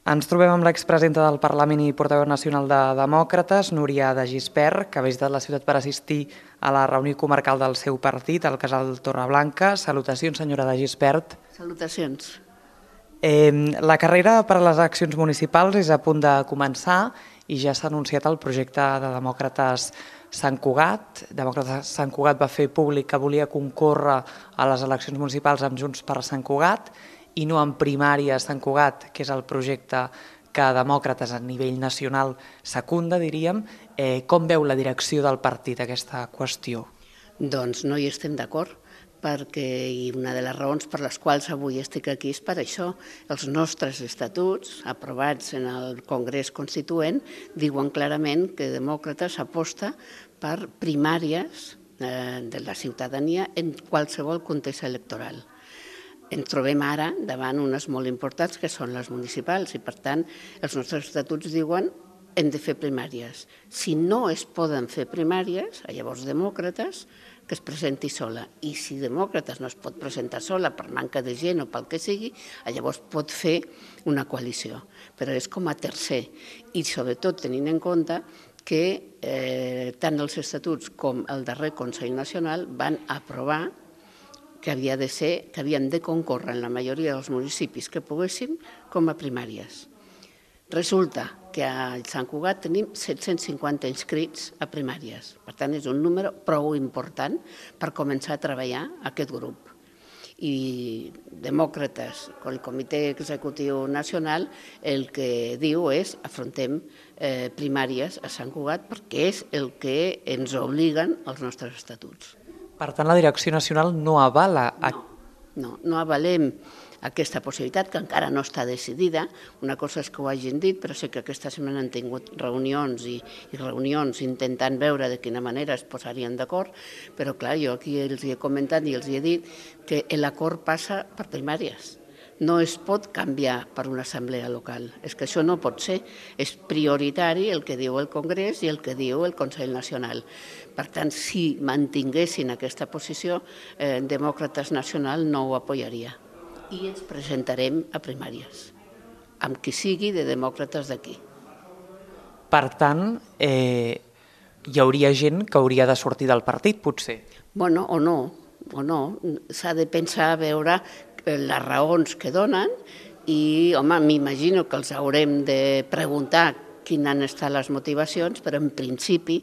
Ens trobem amb l'expresidenta del Parlament i portaveu nacional de Demòcrates, Núria de Gispert, que ha visitat la ciutat per assistir a la reunió comarcal del seu partit, al Casal Torreblanca. Salutacions, senyora de Gispert. Salutacions. La carrera per a les eleccions municipals és a punt de començar i ja s'ha anunciat el projecte de Demòcrates Sant Cugat. Demòcrates Sant Cugat va fer públic que volia concórrer a les eleccions municipals amb Junts per Sant Cugat i no en primària Sant Cugat, que és el projecte que Demòcrates a nivell nacional secunda, diríem. Com veu la direcció del partit aquesta qüestió? Doncs no hi estem d'acord, perquè una de les raons per les quals avui estic aquí és per això. Els nostres estatuts, aprovats en el Congrés Constituent, diuen clarament que Demòcrates aposta per primàries de la ciutadania en qualsevol context electoral. Ens trobem ara davant unes molt importants que són les municipals i per tant els nostres estatuts diuen que hem de fer primàries. Si no es poden fer primàries, llavors Demòcrates que es presenti sola i si Demòcrates no es pot presentar sola per manca de gent o pel que sigui, llavors pot fer una coalició, però és com a tercer i sobretot tenint en compte que tant els estatuts com el darrer Consell Nacional van aprovar que havien de concórrer en la majoria dels municipis que poguéssim com a primàries. Resulta que a Sant Cugat tenim 750 inscrits a primàries. Per tant, és un número prou important per començar a treballar aquest grup. I Demòcrates, el Comitè Executiu Nacional, el que diu és afrontem primàries a Sant Cugat perquè és el que ens obliguen els nostres estatuts. Per tant, la direcció nacional no avala... No avalem aquesta possibilitat, que encara no està decidida. Una cosa és que ho hagin dit, però sé que aquesta setmana han tingut reunions i reunions intentant veure de quina manera es posarien d'acord, però clar, jo aquí els he comentat i els he dit que l'acord passa per primàries. No es pot canviar per una assemblea local. És que això no pot ser. És prioritari el que diu el Congrés i el que diu el Consell Nacional. Per tant, si mantinguessin aquesta posició, Demòcrates Nacional no ho apoyaria. I ens presentarem a primàries, amb qui sigui de demòcrates d'aquí. Per tant, hi hauria gent que hauria de sortir del partit, potser? Bueno, o no. S'ha de pensar a veure les raons que donen i, home, m'imagino que els haurem de preguntar quines han estat les motivacions, però en principi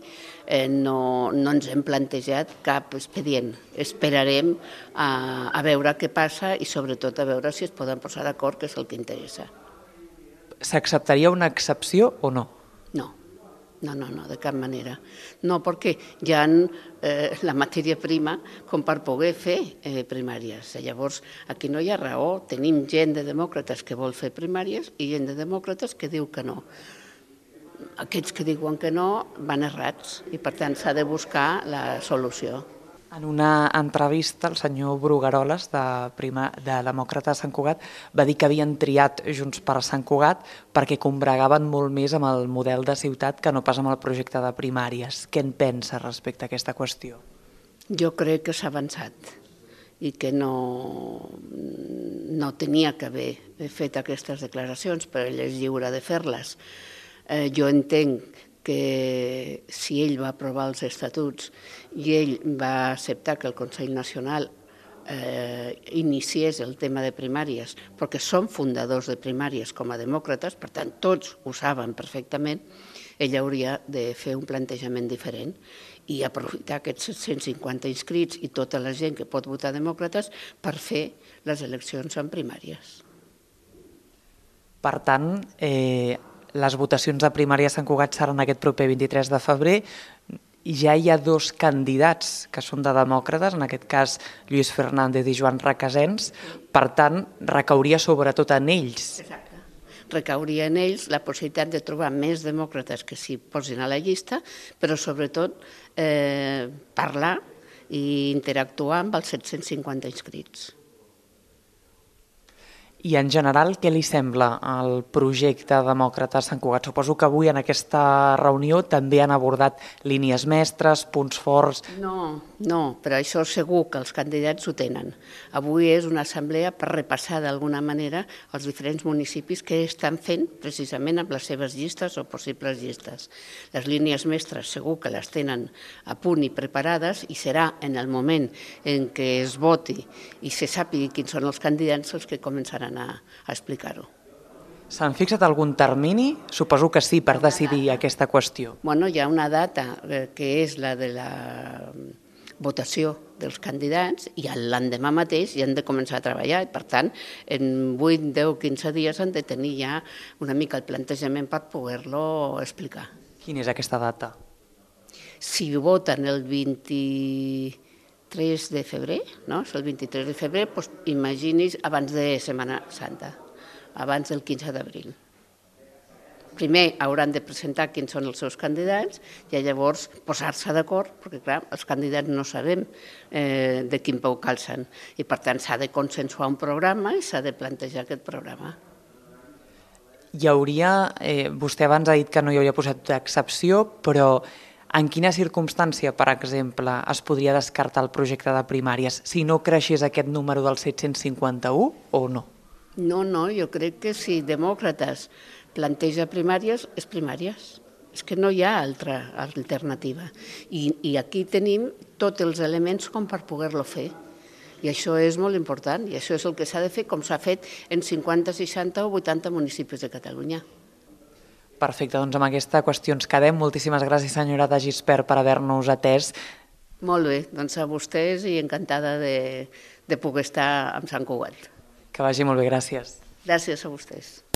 no ens hem plantejat cap expedient. Esperarem a veure què passa i sobretot a veure si es poden posar d'acord, que és el que interessa. S'acceptaria una excepció o no? No, de cap manera. No, perquè hi ha la matèria prima com per poder fer primàries. Llavors, aquí no hi ha raó. Tenim gent de demòcrates que vol fer primàries i gent de demòcrates que diu que no. Aquests que diuen que no van errats i, per tant, s'ha de buscar la solució. En una entrevista, el senyor Brugueroles, de Demòcrates Sant Cugat, va dir que havien triat Junts per Sant Cugat perquè combregaven molt més amb el model de ciutat que no pas amb el projecte de primàries. Què en pensa respecte a aquesta qüestió? Jo crec que s'ha avançat i que no tenia que haver fet aquestes declaracions, però ell és lliure de fer-les. Jo entenc que si ell va aprovar els estatuts i ell va acceptar que el Consell Nacional iniciés el tema de primàries, perquè són fundadors de primàries com a demòcrates, per tant tots ho saben perfectament, ell hauria de fer un plantejament diferent i aprofitar aquests 750 inscrits i tota la gent que pot votar demòcrates per fer les eleccions en primàries. Per tant, les votacions de primària a Sant Cugat seran aquest proper 23 de febrer i ja hi ha dos candidats que són de demòcrates, en aquest cas Lluís Fernández i Joan Recasens, per tant, recauria sobretot en ells. Exacte. Recauria en ells la possibilitat de trobar més demòcrates que s'hi posin a la llista, però sobretot parlar i interactuar amb els 750 inscrits. I en general, què li sembla el projecte Demòcrates Sant Cugat? Suposo que avui en aquesta reunió també han abordat línies mestres, punts forts... No, però això segur que els candidats ho tenen. Avui és una assemblea per repassar d'alguna manera els diferents municipis que estan fent precisament amb les seves llistes o possibles llistes. Les línies mestres segur que les tenen a punt i preparades i serà en el moment en què es voti i se sàpigui quins són els candidats els que començaran a explicar-ho. S'han fixat algun termini? Suposo que sí, per decidir aquesta qüestió. Bueno, hi ha una data que és la de la votació dels candidats i l'endemà mateix ja han de començar a treballar i, per tant, en 8, 10, 15 dies han de tenir ja una mica el plantejament per poder-lo explicar. Quina és aquesta data? Si voten el 23 de febrer, no? És el 23 de febrer, doncs imagini's abans de Setmana Santa, abans del 15 d'abril. Primer hauran de presentar quins són els seus candidats i llavors posar-se d'acord, perquè clar, els candidats no sabem de quin peu calcen i per tant s'ha de consensuar un programa i s'ha de plantejar aquest programa. Hi hauria, vostè abans ha dit que no hi hauria posat excepció, però en quina circumstància, per exemple, es podria descartar el projecte de primàries si no creixés aquest número del 751 o no? No, jo crec que si Demòcrates planteja primàries, és primàries. És que no hi ha altra alternativa. I aquí tenim tots els elements com per poder-lo fer. I això és molt important, i això és el que s'ha de fer com s'ha fet en 50, 60 o 80 municipis de Catalunya. Perfecte, doncs amb aquesta qüestió ens quedem. Moltíssimes gràcies, senyora de Gispert, per haver-nos atès. Molt bé, doncs a vostès i encantada de poder estar amb Sant Cugat. Que vagi molt bé, gràcies. Gràcies a vostès.